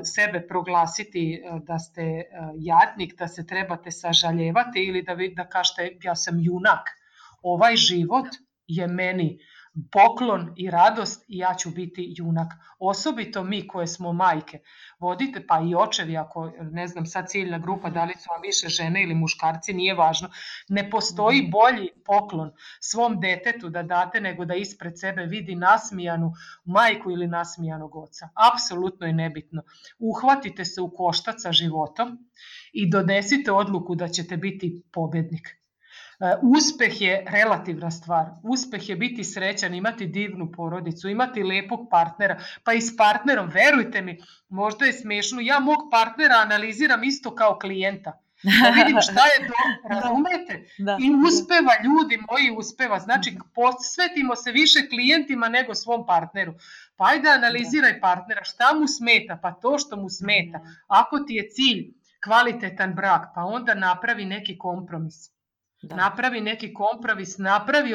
sebe proglasiti da ste jadnik, da se trebate sažaljevati ili da kažete ja sam junak. Ovaj život je meni poklon i radost i ja ću biti junak. Osobito mi koje smo majke. Vodite, pa i očevi, ako ne znam sad ciljna grupa, da li su vam više žene ili muškarci, nije važno. Ne postoji bolji poklon svom detetu da date nego da ispred sebe vidi nasmijanu majku ili nasmijanog oca. Apsolutno je nebitno. Uhvatite se u koštac sa životom i donesite odluku da ćete biti pobednik. Uspeh je relativna stvar. Uspeh je biti srećan, imati divnu porodicu, imati lepog partnera, pa i s partnerom, verujte mi, možda je smešno, ja mog partnera analiziram isto kao klijenta. Da vidim šta je to, razumete? I uspeva, ljudi moji, uspeva. Znači, posvetimo se više klijentima nego svom partneru. Pa ajde analiziraj partnera, šta mu smeta, pa to što mu smeta. Ako ti je cilj kvalitetan brak, pa onda napravi neki kompromis. Napravi neki kompromis, napravi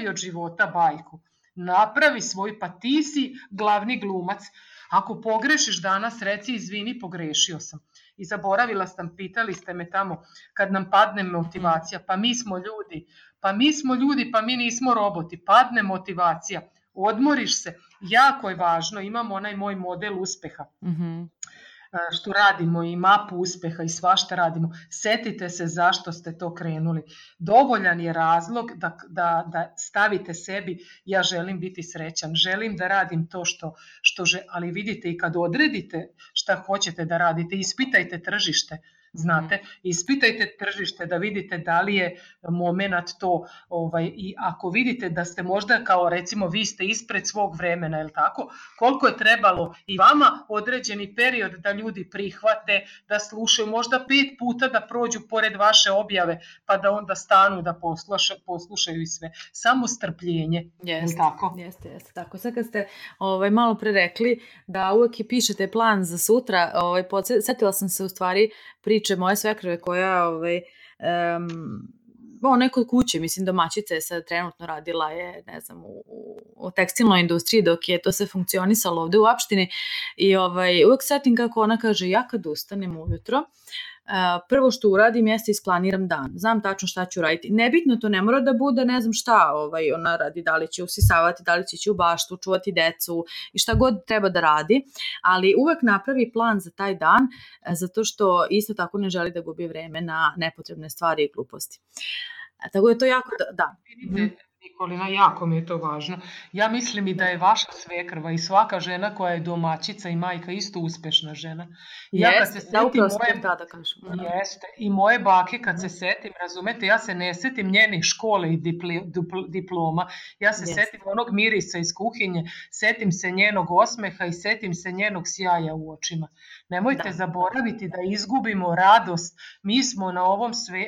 od života bajku, napravi svoj, pa ti si glavni glumac. Ako pogrešiš danas, reci izvini, pogrešio sam. I zaboravila sam, pitali ste me tamo, kad nam padne motivacija, pa mi smo ljudi, pa mi nismo roboti, padne motivacija, odmoriš se, jako je važno, imam onaj moj model uspeha. Što radimo i mapu uspeha i svašta radimo, setite se zašto ste to krenuli. Dovoljan je razlog da stavite sebi ja želim biti srećan, želim da radim to ali vidite i kad odredite šta hoćete da radite, ispitajte tržište. Znate, ispitajte tržište da vidite da li je moment to i ako vidite da ste možda kao recimo vi ste ispred svog vremena, je li tako? Koliko je trebalo i vama određeni period da ljudi prihvate, da slušaju, možda 5 puta da prođu pored vaše objave pa da onda stanu da poslušaju i sve. Samo strpljenje, je li tako? Jeste, tako. Sad kad ste malo pre rekli da uvek i pišete plan za sutra, setila sam se u stvari priče moje svekrve koja neko kuće, mislim domaćica je sad trenutno radila je, ne znam, u tekstilnoj industriji dok je to sve funkcionisalo ovde u opštini i uvek setim kako ona kaže ja kad ustanem ujutro prvo što uradim jeste isplaniram dan. Znam tačno šta ću raditi. Nebitno, to ne mora da bude ne znam šta ona radi, da li će usisavati, da li će ići u baštu, čuvati decu i šta god treba da radi, ali uvek napravi plan za taj dan zato što isto tako ne želi da gubi vreme na nepotrebne stvari i gluposti. Tako je to jako da. Nikolina, jako mi je to važno. Ja mislim i da je vaša svekrva i svaka žena koja je domaćica i majka isto uspešna žena. Jeste, i moje bake kad se setim, razumete, ja se ne setim njenih škole i diploma, ja se setim onog mirisa iz kuhinje, setim se njenog osmeha i setim se njenog sjaja u očima. Nemojte zaboraviti da izgubimo radost. Mi smo na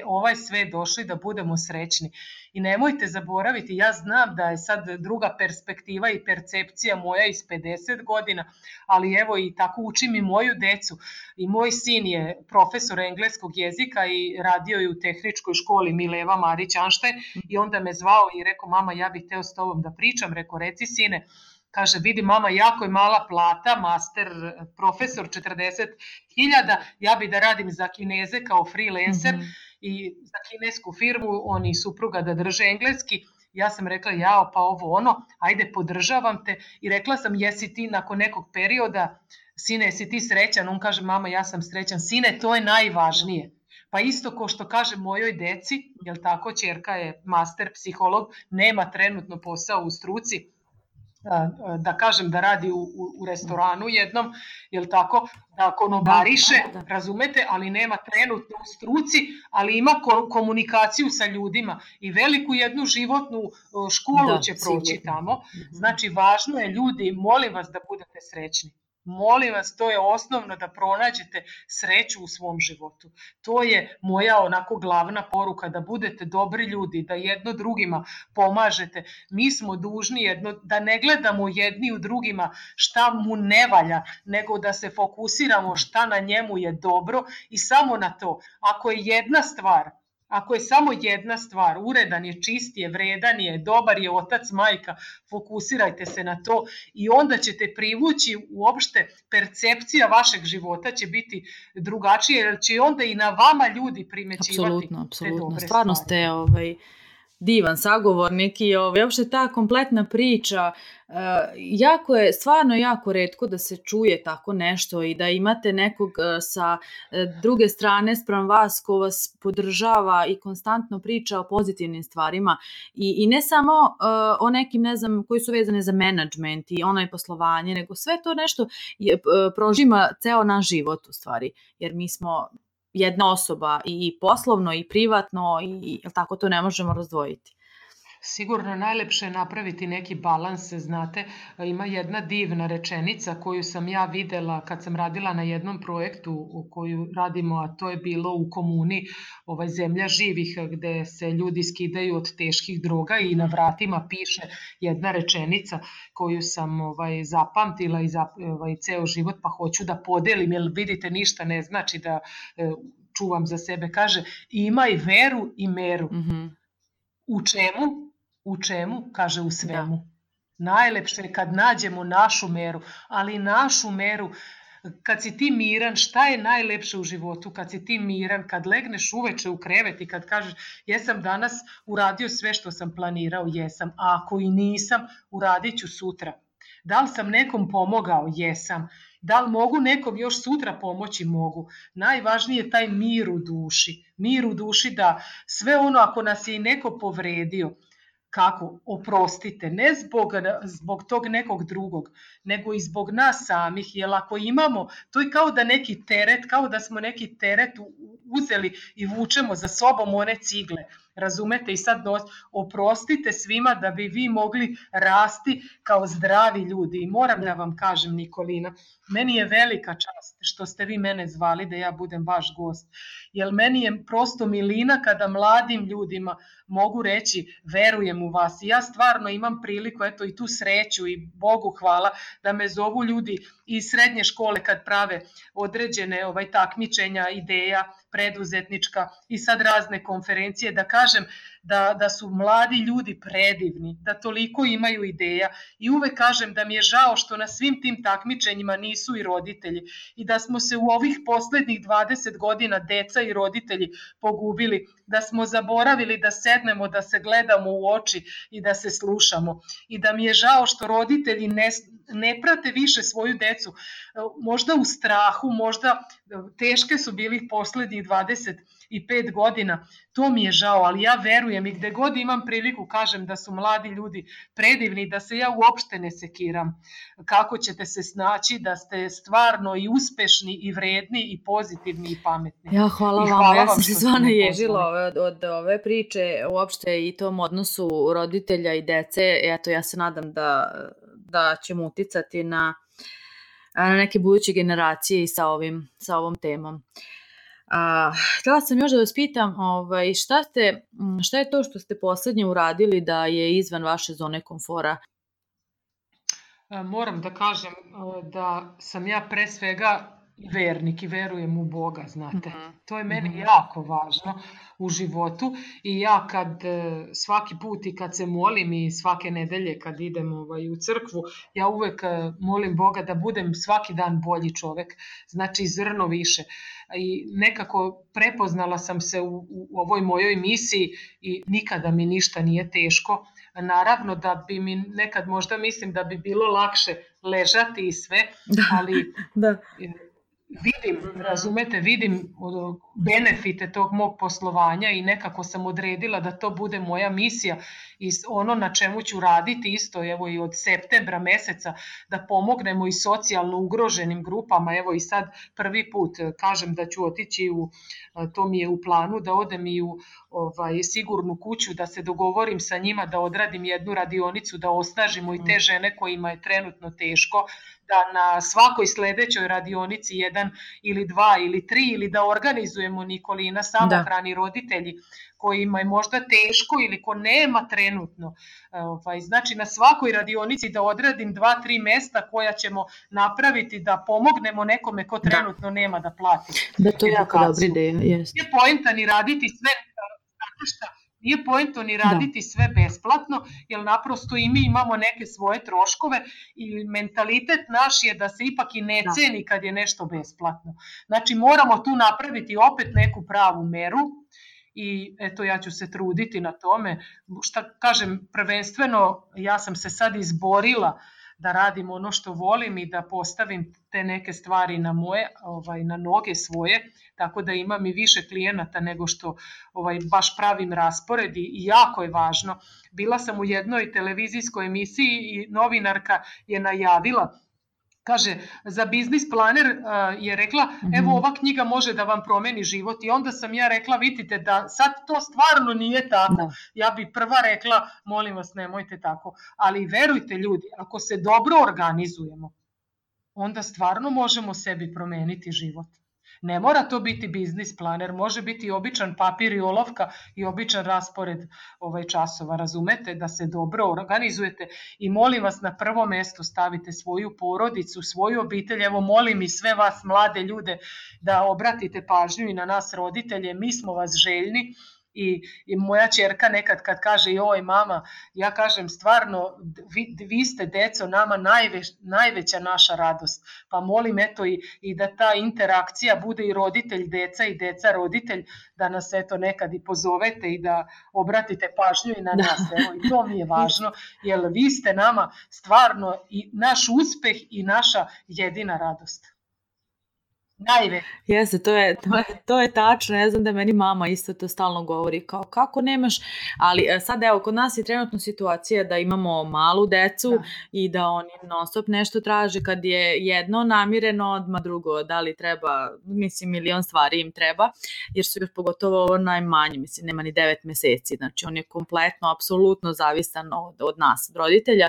ovaj sve došli da budemo srećni. I nemojte zaboraviti, ja znam da je sad druga perspektiva i percepcija moja iz 50 godina, ali evo i tako učim i moju decu. I moj sin je profesor engleskog jezika i radio je u tehničkoj školi Mileva Marić-Anštajn i onda me zvao i rekao, mama, ja bih hteo s tobom da pričam. Rekao, reci sine. Kaže, vidi mama, jako je mala plata, master, profesor 40.000, ja bi da radim za Kineze kao freelancer i za kinesku firmu, oni i supruga da drže engleski. Ja sam rekla, jao, pa ovo ono, ajde, podržavam te. I rekla sam, jesi ti nakon nekog perioda, sine, jesi ti srećan? On kaže, mama, ja sam srećan. Sine, to je najvažnije. Pa isto ko što kaže mojoj deci, jel tako, ćerka je master psiholog, nema trenutno posao u struci, da kažem da radi u restoranu jednom, jel tako, da konobariše, razumete, ali nema trenutno u struci, ali ima komunikaciju sa ljudima i veliku jednu životnu školu će proći tamo. Znači, važno je, ljudi, molim vas da budete srećni. Molim vas, to je osnovno, da pronađete sreću u svom životu. To je moja onako glavna poruka, da budete dobri ljudi, da jedno drugima pomažete. Mi smo dužni da ne gledamo jedni u drugima šta mu ne valja, nego da se fokusiramo šta na njemu je dobro i samo na to. Ako je samo jedna stvar, uredan je, čist je, vredan je, dobar je otac, majka, fokusirajte se na to i onda ćete privući, uopšte percepcija vašeg života će biti drugačija, jer će onda i na vama ljudi primećivati te dobre stvari. Stvarno ste divan sagovornik i uopšte ta kompletna priča, stvarno jako retko da se čuje tako nešto i da imate nekog sa druge strane spram vas ko vas podržava i konstantno priča o pozitivnim stvarima i ne samo o nekim, ne znam, koji su vezane za menadžment i onaj poslovanje, nego sve to nešto prožima ceo naš život u stvari, jer mi smo jedna osoba i poslovno i privatno i tako to ne možemo razdvojiti. Sigurno najlepše je napraviti neki balans, znate, ima jedna divna rečenica koju sam ja videla kad sam radila na jednom projektu koju radimo, a to je bilo u komuni Zemlja živih, gde se ljudi skidaju od teških droga i na vratima piše jedna rečenica koju sam zapamtila i ceo život, pa hoću da podelim, jer vidite, ništa ne znači da čuvam za sebe. Kaže, imaj veru i meru. U čemu? U čemu? Kaže, u svemu. Najlepše je kad nađemo našu meru, ali našu meru, kad si ti miran, šta je najlepše u životu? Kad si ti miran, kad legneš uveče u krevet i kad kažeš, jesam danas uradio sve što sam planirao, jesam, a ako i nisam, uradit ću sutra. Da li sam nekom pomogao? Jesam. Da li mogu nekom još sutra pomoći? Mogu. Najvažnije je taj mir u duši. Mir u duši, da sve ono, ako nas je i neko povredio, kako? Oprostite. Ne zbog tog nekog drugog, nego i zbog nas samih. Jer ako imamo, to je kao da neki teret, kao da smo neki teret uzeli i vučemo za sobom one cigle. Razumete? I sad oprostite svima da bi vi mogli rasti kao zdravi ljudi. I moram da vam kažem, Nikolina, meni je velika čast što ste vi mene zvali da ja budem vaš gost. Jer meni je prosto milina kada mladim ljudima mogu reći verujem u vas. I ja stvarno imam priliku, eto i tu sreću i Bogu hvala, da me zovu ljudi iz srednje škole kad prave određene takmičenja, ideja, preduzetnička i sad razne konferencije, da kažem da su mladi ljudi predivni, da toliko imaju ideja i uvek kažem da mi je žao što na svim tim takmičenjima nisu i roditelji i da smo se u ovih poslednjih 20 godina deca i roditelji pogubili, da smo zaboravili da sednemo, da se gledamo u oči i da se slušamo i da mi je žao što roditelji ne prate više svoju decu, možda u strahu, možda teške su bili poslednjih 25 godina, to mi je žao, ali ja verujem i gde god imam priliku kažem da su mladi ljudi predivni, da se ja uopšte ne sekiram kako ćete se snaći, da ste stvarno i uspešni i vredni i pozitivni i pametni. Ja, hvala vam, ja sam se stvarno ježila od ove priče uopšte i tom odnosu roditelja i dece, eto ja se nadam da ćemo uticati na neke buduće generacije i sa ovom temom. Htjela sam još da vas pitam, šta je to što ste poslednje uradili da je izvan vaše zone komfora? Moram da kažem da sam ja pre svega vernik i verujem u Boga, znate. To je meni jako važno u životu i ja kad svaki put i kad se molim i svake nedelje kad idem u crkvu, ja uvek molim Boga da budem svaki dan bolji čovek, znači zrno više. I nekako prepoznala sam se u ovoj mojoj misiji i nikada mi ništa nije teško. Naravno da bi mi nekad možda mislim da bi bilo lakše ležati i sve, ali vidim benefite tog mog poslovanja i nekako sam odredila da to bude moja misija i ono na čemu ću raditi isto, evo i od septembra meseca, da pomognemo i socijalno ugroženim grupama, evo i sad prvi put kažem da ću otići to mi je u planu, da odem i u sigurnu kuću, da se dogovorim sa njima, da odradim jednu radionicu, da osnažimo i te žene kojima je trenutno teško, da na svakoj sledećoj radionici 1 ili 2 ili 3 ili da organizujemo Nikolina samohrani roditelji kojima je možda teško ili ko nema trenutno. Znači na svakoj radionici da odradim 2-3 mesta koja ćemo napraviti da pomognemo nekome ko trenutno nema da plati. Da, to je jako dobra ideja. Nije poenta ni raditi sve, znate šta, nije poento ni raditi sve besplatno, jer naprosto i mi imamo neke svoje troškove i mentalitet naš je da se ipak i ne ceni kad je nešto besplatno. Znači moramo tu napraviti opet neku pravu meru i eto ja ću se truditi na tome. Šta kažem, prvenstveno ja sam se sad izborila da radim ono što volim i da postavim te neke stvari na noge svoje, tako da imam i više klijenata nego što baš pravim raspored i jako je važno. Bila sam u jednoj televizijskoj emisiji i novinarka je najavila, kaže, za biznis planer je rekla, evo ova knjiga može da vam promeni život i onda sam ja rekla, vidite da sad to stvarno nije tako. Ja bi prva rekla, molim vas nemojte tako, ali verujte ljudi, ako se dobro organizujemo, onda stvarno možemo sebi promeniti život. Ne mora to biti biznis planer, može biti običan papir i olovka i običan raspored časova, razumete, da se dobro organizujete i molim vas na prvo mesto stavite svoju porodicu, svoju obitelj, evo molim i sve vas mlade ljude da obratite pažnju i na nas roditelje, mi smo vas željni. I moja ćerka nekad kad kaže joj mama, ja kažem stvarno vi ste deco nama najveća naša radost, pa molim eto i da ta interakcija bude i roditelj deca i deca roditelj, da nas eto nekad i pozovete i da obratite pažnju i na nas, evo i to mi je važno, jer vi ste nama stvarno i naš uspeh i naša jedina radost. Jeste, to je tačno, ne znam da meni mama isto to stalno govori, kao kako nemaš, ali sad evo, kod nas je trenutno situacija da imamo malu decu i da oni non stop nešto traže, kad je jedno namireno, odmah drugo, da li treba, mislim milion stvari im treba, jer su još pogotovo ovo najmanji, mislim nema ni 9 meseci, znači on je kompletno, apsolutno zavisan od nas, od roditelja.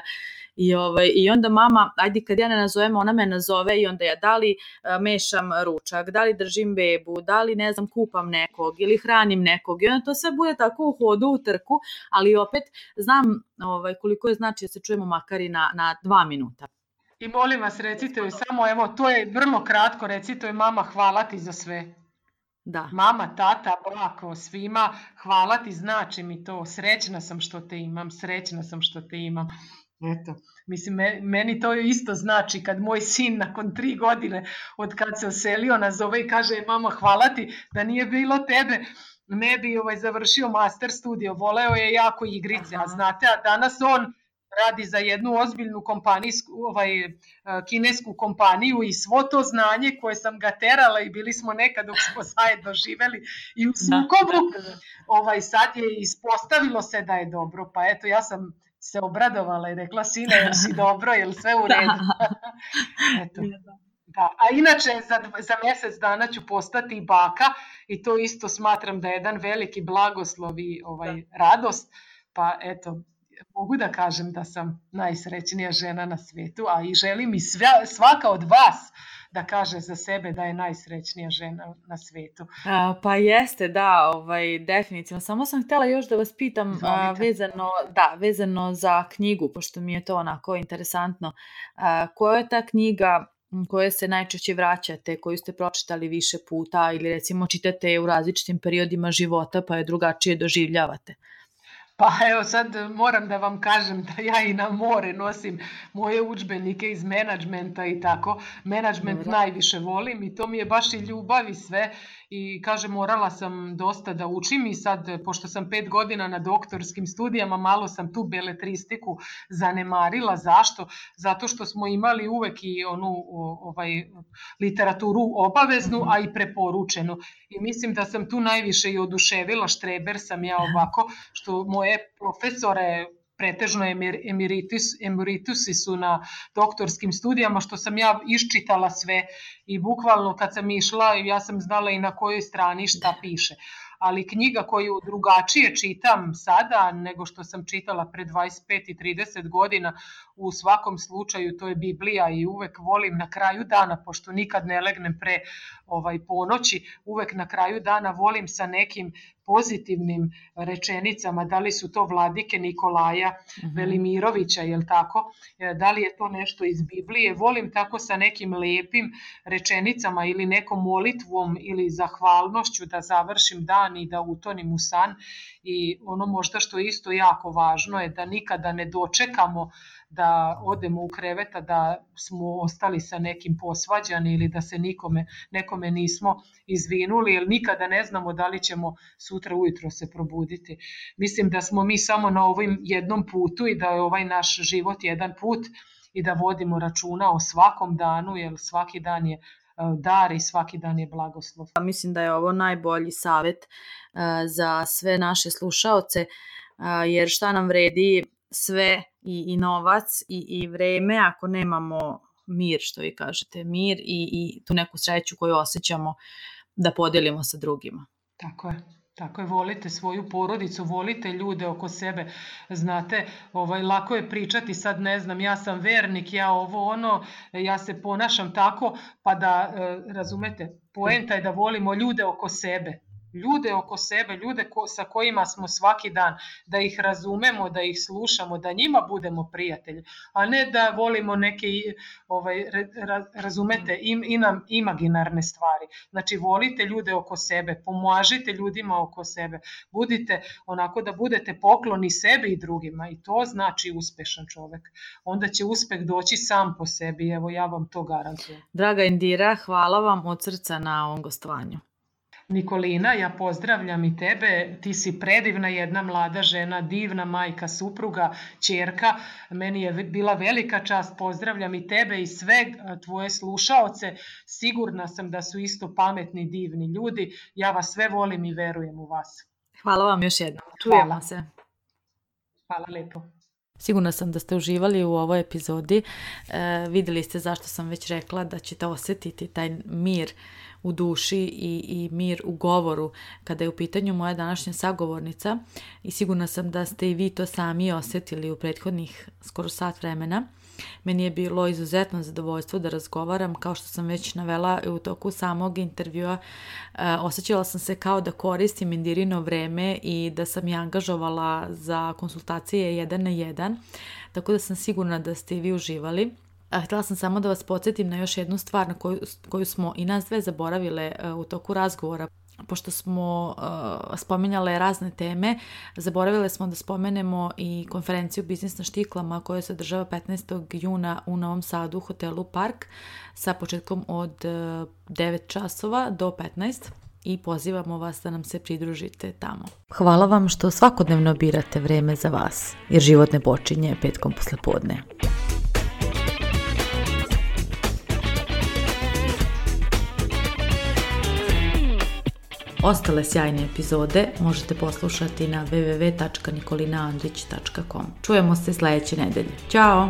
I onda mama, ajde kad ja ne nazovem, ona me nazove i onda ja da li mešam ručak, da li držim bebu, da li ne znam kupam nekog ili hranim nekog i onda to sve bude tako u hodu, u trku, ali opet znam koliko je znači da se čujemo makar i na 2 minuta. I molim vas recite joj samo, evo to je vrlo kratko, recite joj mama hvala ti za sve. Da. Mama, tata, brako, svima, hvala ti, znači mi to, srećna sam što te imam. Eto, mislim, meni to isto znači kad moj sin nakon 3 godine od kad se oselio nazove i kaže mama hvala ti, da nije bilo tebe ne bi završio master studio, voleo je jako igrice, a znate, a danas on radi za jednu ozbiljnu kinesku kompaniju i svo to znanje koje sam ga terala i bili smo nekad dok smo zajedno živeli i u sukobu, sad je ispostavilo se da je dobro, pa eto ja sam se obradovala i rekla, sine, jel si dobro, jel sve u redu? Eto. Da. A inače, za mjesec dana ću postati baka i to isto smatram da je jedan veliki blagoslov i radost, pa eto, mogu da kažem da sam najsrećnija žena na svetu, a i želim i svaka od vas da kaže za sebe da je najsrećnija žena na svetu. Pa jeste, da, definitivno. Samo sam htjela još da vas pitam vezano za knjigu, pošto mi je to onako interesantno. Koja je ta knjiga koje se najčešće vraćate, koju ste pročitali više puta ili recimo čitate u različitim periodima života pa je drugačije doživljavate? Pa evo sad moram da vam kažem da ja i na more nosim moje udžbenike iz menadžmenta i tako. Menadžment najviše volim i to mi je baš i ljubav i sve. I kažem, morala sam dosta da učim i sad, pošto sam 5 godina na doktorskim studijama, malo sam tu beletristiku zanemarila. Zašto? Zato što smo imali uvek i onu literaturu obaveznu, a i preporučenu. I mislim da sam tu najviše i oduševila, štreber sam ja ovako, što moje profesore pretežno emeritusi su na doktorskim studijama, što sam ja iščitala sve i bukvalno kad sam išla ja sam znala i na kojoj strani šta piše. Ali knjiga koju drugačije čitam sada nego što sam čitala pre 25 i 30 godina, u svakom slučaju to je Biblija i uvek volim na kraju dana, pošto nikad ne legnem pre ponoći, uvek na kraju dana volim sa nekim pozitivnim rečenicama, da li su to Vladike Nikolaja Velimirovića, jel tako? Da li je to nešto iz Biblije? Volim tako sa nekim lepim rečenicama ili nekom molitvom ili zahvalnošću da završim dan i da utonim u san. I ono možda što je isto jako važno je da nikada ne dočekamo da odemo u kreveta, da smo ostali sa nekim posvađani ili da se nekome nismo izvinuli, jer nikada ne znamo da li ćemo sutra ujutro se probuditi. Mislim da smo mi samo na ovom jednom putu i da je ovaj naš život jedan put i da vodimo računa o svakom danu, jer svaki dan je dar i svaki dan je blagoslov. Mislim da je ovo najbolji savjet za sve naše slušaoce, jer šta nam vredi sve i novac i vreme ako nemamo mir, što vi kažete, mir i tu neku sreću koju osjećamo da podelimo sa drugima. Tako je, volite svoju porodicu, volite ljude oko sebe. Znate, lako je pričati sad, ne znam, ja sam vernik, ja ja se ponašam tako, pa da, razumete, poenta je da volimo ljude oko sebe. Ljude sa kojima smo svaki dan, da ih razumemo, da ih slušamo, da njima budemo prijatelji, a ne da volimo neke, razumete, imaginarne stvari. Znači, volite ljude oko sebe, pomažite ljudima oko sebe, budite onako da budete pokloni sebi i drugima i to znači uspešan čovek. Onda će uspeh doći sam po sebi, evo ja vam to garantujem. Draga Indira, hvala vam od srca na ovom gostovanju. Nikolina, ja pozdravljam i tebe, ti si predivna jedna mlada žena, divna majka, supruga, ćerka, meni je bila velika čast, pozdravljam i tebe i sve tvoje slušaoce, sigurna sam da su isto pametni, divni ljudi, ja vas sve volim i verujem u vas. Hvala vam još jednom, čujemo se. Hvala lepo. Sigurna sam da ste uživali u ovoj epizodi, vidjeli ste zašto sam već rekla da ćete osjetiti taj mir u duši i mir u govoru kada je u pitanju moja današnja sagovornica i sigurna sam da ste i vi to sami osjetili u prethodnih skoro sat vremena. Meni je bilo izuzetno zadovoljstvo da razgovaram, kao što sam već navela u toku samog intervjua, osjećala sam se kao da koristim Indirino vreme i da sam je angažovala za konsultacije 1 na 1, tako da sam sigurna da ste i vi uživali. Htjela sam samo da vas podsjetim na još jednu stvar na koju smo i nas dve zaboravile u toku razgovora. Pošto smo spominjale razne teme, zaboravile smo da spomenemo i konferenciju Biznis na štiklama koja se održava 15. juna u Novom Sadu u hotelu Park sa početkom od 9 časova do 15 i pozivamo vas da nam se pridružite tamo. Hvala vam što svakodnevno birate vreme za vas, jer život ne počinje petkom poslepodne. Ostale sjajne epizode možete poslušati na www.nikolinaandrić.com. Čujemo se sljedeće nedelje. Ćao!